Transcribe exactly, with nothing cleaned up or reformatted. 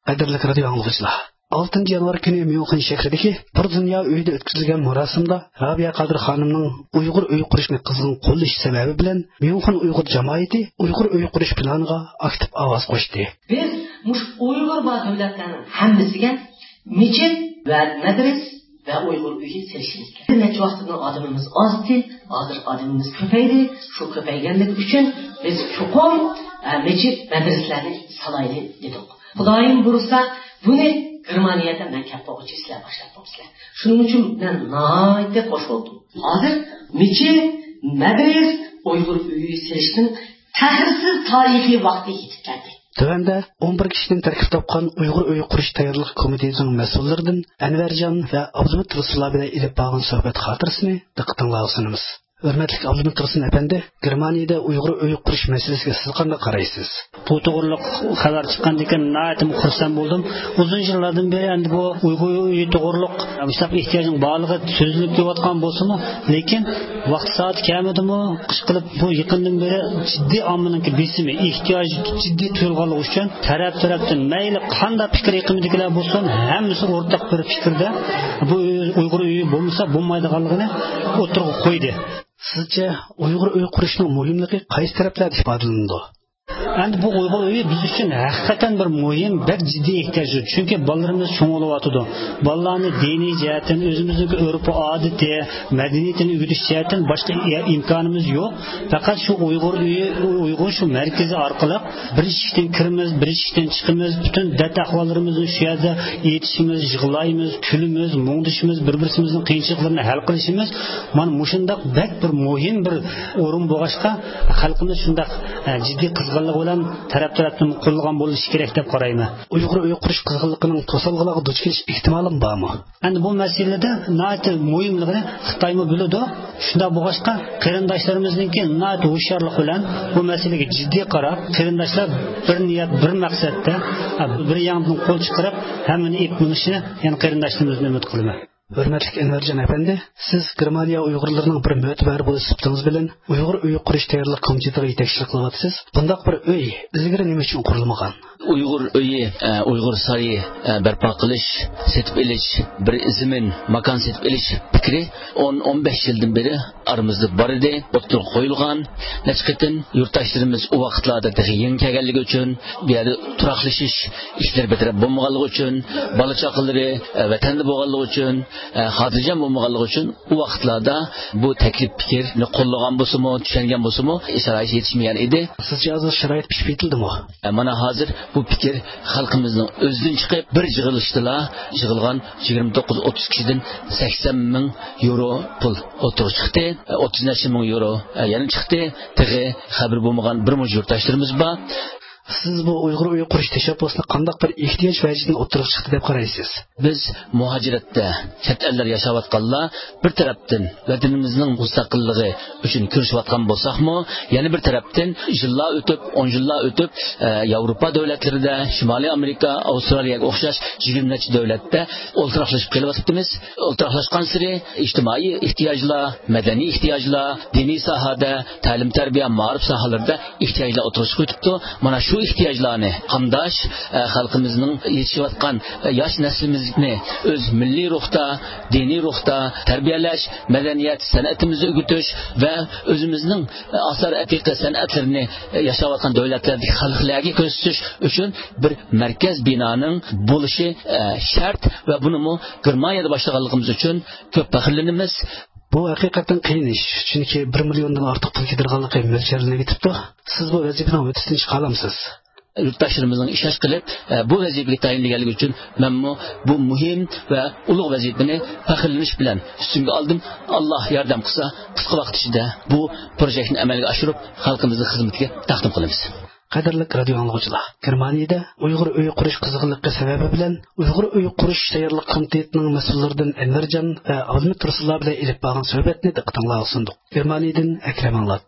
قەدىرلىك رادىيو ئاڭلىغۇچىلار، ئالتىنچى يانۋار كۈنى ميۇنخېن شەھىرىدىكى بىر دۇنيا ئۆيىدە ئۆتكۈزۈلگەن مۇراسىمدا رابىيە قادىر خانىمنىڭ ئۇيغۇر ئۆيى قۇرۇشنى قىزغىن قوللىشى سەۋەبى بىلەن ميۇنخېن ئۇيغۇر جامائىتى ئۇيغۇر ئۆيى قۇرۇش پىلانىغا ئاكتىپ ئاۋاز قوشتى. بىز مۇشۇ ئۇيغۇر بار دۆلەتلەرنىڭ ھەممىسىگە مېچىت ۋە مەدرىس ۋە ئۇيغۇر ئۆيى سېلىشىمىز كېرەك. بىر نەچچە ۋاقىتتىن ئادىمىمىز ئازدى، ھازىر ئادىمىمىز كۆپەيدى. شۇ كۆپەيگەنلىكى ئۈچۈن بىز چوقۇم، ئە، مەسچىت، مەدرىسىلەرنى سالايلى دېدۇق. خۇدايىم بۇيرۇسا، بۇنى گېرمانىيەدە مەن كەپ بولغۇچە سىلەر باشلاپ بوپسىلەر. شۇنىڭ ئۈچۈن مەن ناھايىتى خوش بولدۇم. ھازىر مەسچىت، مەدرىس، ئۇيغۇر ئۆيى سېلىشنىڭ تەخىرسىز تارىخىي ۋاقتى يېتىپ كەلدى. تۆۋەندە ئون بىر كىشىدىن تەركىب تاپقان ئۇيغۇر ئۆيى قۇرۇش تەييارلىق كومىتېتىنىڭ مەسئۇللىرىدىن ئەنۋەرجان ۋە ئابلىمىت رۇسۇللار بىلەن ئېلىپ بارغان سۆھبەت خاتىرىسىنى دىققىتىڭلارغا سۇنىمىز. ھۆرمەتلىك ئابلىمىت رۇسۇل ئەپەندى، گېرمانىيەدە ئۇيغۇر ئۆيى قۇرۇش مەسىلىسىگە سىز قانداق قارايسىز؟ بۇ توغرۇلۇق خەۋەر چىققاندىن كېيىن ناھايىتى خۇرسەن بولدۇم. ئۇزۇن يىللاردىن بېرى ئەمدى بۇ ئۇيغۇر ئۆيى توغرۇلۇق مۇشۇنداق ئېھتىياجنىڭ بارلىقى سۆزلىنىپ كېلىۋاتقان بولسىمۇ، لېكىن ۋاقتى سائىتى كەلمىدىمۇ، ئىشقىلىپ بۇ يېقىندىن بېرى جىددىي ئاممىنىڭكى بېسىمى، ئېھتىياجى جىددىي تۇيۇلغانلىقى ئۈچۈن تەرەپ-تەرەپتىن مەيلى قانداق پىكىر ئېقىمىدىكىلەر بولسۇن، ھەممىسى ئورتاق بىر پىكىردە، بۇ ئۇيغۇر ئۆيى بولمىسا بولمايدىغانلىقىنى ئوتتۇرىغا قويدى. سىزچە ئۇيغۇر ئۆيى قۇرۇشنىڭ مۇھىملىقى قايسى تەرەپلەردە ئىپادىلىنىدۇ؟ ئەمدى بۇ ئۇيغۇر ئۆيى بىز ئۈچۈن ھەقىقەتەن بىر مۇھىم، بەك جىددىي ئېھتىياج. چۈنكى بالىلىرىمىز چوڭ بولۇۋاتىدۇ. بالىلارنى دىنىي جەھەتتىن، ئۆزىمىزنىڭ ئۆرپ-ئادىتى، مەدەنىيىتىنى ئۆگىتىش جەھەتتىن باشقا ئىمكانىمىز يوق. پەقەت شۇ ئۇيغۇر ئۆيى، ئۇيغۇر شۇ مەركىزى ئارقىلىق بىر ئىشىكتىن كىرىمىز، بىر ئىشىكتىن چىقىمىز، پۈتۈن دەرد-ئەھۋاللىرىمىزنى شۇ يەردە ئېيتىشىمىز، يىغلايمىز، كۈلىمىز، مۇڭدىشىمىز، بىر-بىرىمىزنىڭ قىيىنچىلىقلىرىنى ھەل قىلىشىمىز. مانا مۇشۇنداق بەك بىر مۇھىم بىر ئورۇن بولغاچقا، خەلقىمىز شۇنداق، ئە، جىددىي قىزغىنلىق بىلەن تەرەپ-تەرەپتىن قوللىغان بولۇشى كېرەك دەپ قارايمەن. ئۇيغۇر ئۆيى قۇرۇش قىزغىنلىقىنىڭ توسالغۇلارغا دۇچ كېلىش ئېھتىمالىمۇ بارمۇ؟ ئەمدى بۇ مەسىلىدە ناھايىتى مۇھىملىقىنى خىتايمۇ بىلىدۇ. شۇنداق بولغاچقا، قېرىنداشلىرىمىزنىڭكى ناھايىتى ھوشيارلىق بىلەن بۇ مەسىلىگە جىددىي قاراپ، قېرىنداشلار بىر نىيەت، بىر مەقسەتتە، بىر ياڭدىن قول چىقىرىپ، ھەممىنى ئېلىپ مېڭىشىنى يەنە قېرىنداشلىرىمىزدىن ئۈمىد قىلىمەن. ھۆرمەتلىك ئەنۋەرجان ئەپەندى، سىز گېرمانىيە ئۇيغۇرلىرىنىڭ بىر مۆتىبەرى بولۇش سۈپىتىڭىز بىلەن ئۇيغۇر ئۆيى قۇرۇش تەييارلىق كومىتېتىغا يېتەكچىلىك قىلىۋاتىسىز. بۇنداق بىر ئۆي ئىلگىرى نېمە ئۈچۈن قۇرۇلمىغان؟ ئۇيغۇر ئۆيى، ئە، ئۇيغۇر سارىيى، ئە، بەرپا قىلىش، سېتىپ ئېلىش، بىر زېمىن، ماكان سېتىپ ئېلىش پىكرى ئون، ئون بەش يىلدىن بېرى ئارىمىزدا بار ئىدى، ئوتتۇرىغا قويۇلغان. نەچچە قېتىم يۇرتداشلىرىمىز ئۇ ۋاقىتلاردا تېخى يېڭى كەلگەنلىكى ئۈچۈن، بۇ يەردە تۇراقلىشىش ئىشلىرى بىر تەرەپ بولمىغانلىقى ئۈچۈن، بالا چاقىلىرى، ئە، ۋەتەندە بولغانلىقى ئۈچۈن، ئە، خاتىرجەم بولمىغانلىقى ئۈچۈن ئۇ ۋاقىتلاردا بۇ تەكلىپ پىكىرنى قوللىغان بولسىمۇ، چۈشەنگەن بولسىمۇ، شارائىت يېتىشمىگەن ئىدى. سىزچە ھازىر شارائىت پىشىپ يېتىلدىمۇ؟ ئە، مانا ھازىر بۇ پىكىر خەلقىمىزنىڭ ئۆزىدىن چىقىپ، بىر يىغىلىشتىلا يىغىلغان يىگىرمە توققۇز ئوتتۇز كىشىدىن سەكسەن مىڭ يورو پۇل ئوتتۇرىغا چىقتى. ئە، ئوتتۇز نەچچە مىڭ يورو، ئە، يەنە چىقتى. تېخى خەۋىرى بولمىغان بىر مۇنچە يۇرتداشلىرىمىز بار. سىز بۇ ئۇيغۇر ئۆيى قۇرۇش تەشەببۇسىنى قانداق بىر ئېھتىياج ۋەجىدىن ئوتتۇرىغا چىقتى دەپ قارايسىز؟ بىز مۇھاجىرەتتە، چەت ئەللەردە ياشاۋاتقانلار بىر تەرەپتىن ۋەتىنىمىزنىڭ مۇستەقىللىقى ئۈچۈن كۈرىشىۋاتقان بولساقمۇ، يەنە بىر تەرەپتىن يىللار ئۆتۈپ، ئون يىللار ئۆتۈپ، ئە، ياۋروپا دۆلەتلىرىدە، شىمالىي ئامېرىكا، ئاۋسترالىيەگە ئوخشاش يىگىرمە نەچچە دۆلەتتە ئولتۇراقلىشىپ قېلىۋاتىپتىمىز. ئولتۇراقلاشقانسېرى ئىجتىمائىي ئېھتىياجلار، مەدەنىي ئېھتىياجلار، دىنىي ساھەدە، تەلىم-تەربىيە، مائارىپ ساھەلىرىدە ئېھتىياجلار ئوتتۇرىغا چىقىۋېتىپتۇ. مانا شۇ ئېھتىياجلارنى قامداش، ئە، خەلقىمىزنىڭ يېتىشىۋاتقان، ئە، ياش نەسلىمىزنى ئۆز مىللىي روھتا، دىنىي روھتا تەربىيەلەش، مەدەنىيەت، سەنئىتىمىزنى ئۆگىتىش ۋە ئۆزىمىزنىڭ، ئە، ئاسار ئەتىقە سەنئەتلىرىنى، ئە، ياشاۋاتقان دۆلەتلەردىكى خەلقلەرگە كۆرسىتىش ئۈچۈن بىر مەركەز بىنانىڭ بولۇشى، ئە، شەرت ۋە بۇنىمۇ گېرمانىيەدە باشلىغانلىقىمىز ئۈچۈن كۆپ پەخىرلىنىمىز. بۇ ھەقىقەتەن قىيىن ئىش، چۈنكى بىر مىليوندىن ئارتۇق پۇل كېتىدىغانلىقى مۆلچەرلىنىۋېتىپتۇ. سىز بۇ ۋەزىپىنىڭ ھۆددىسىدىن چىقالامسىز؟ يۇرتداشلىرىمىزنىڭ ئىشەنچ قىلىپ، ئە، بۇ ۋەزىپىگە تەيىنلىگەنلىكى ئۈچۈن مەنمۇ بۇ مۇھىم ۋە ئۇلۇغ ۋەزىپىنى پەخىرلىنىش بىلەن ئۈستۈمگە ئالدىم. ئاللا ياردەم قىلسا، قىسقا ۋاقىت ئىچىدە بۇ پروژېكتنى ئەمەلگە ئاشۇرۇپ، خەلقىمىزنىڭ خىزمىتىگە تەقدىم قىلىمىز. قەدىرلىك رادىيو ئاڭلىغۇچىلار، گېرمانىيەدە ئۇيغۇر ئۆيى قۇرۇش قىزغىنلىقى سەۋەبى بىلەن ئۇيغۇر ئۆيى قۇرۇش تەييارلىق كومىتېتىنىڭ مەسئۇللىرىدىن ئەنۋەرجان ۋە ئابلىمىت تۇرسۇنلار بىلەن ئېلىپ بارغان سۆھبەتنى دىققىتىڭلارغا سۇندۇق. گېرمانىيەدىن ئەكرەم ئاڭلاتتى.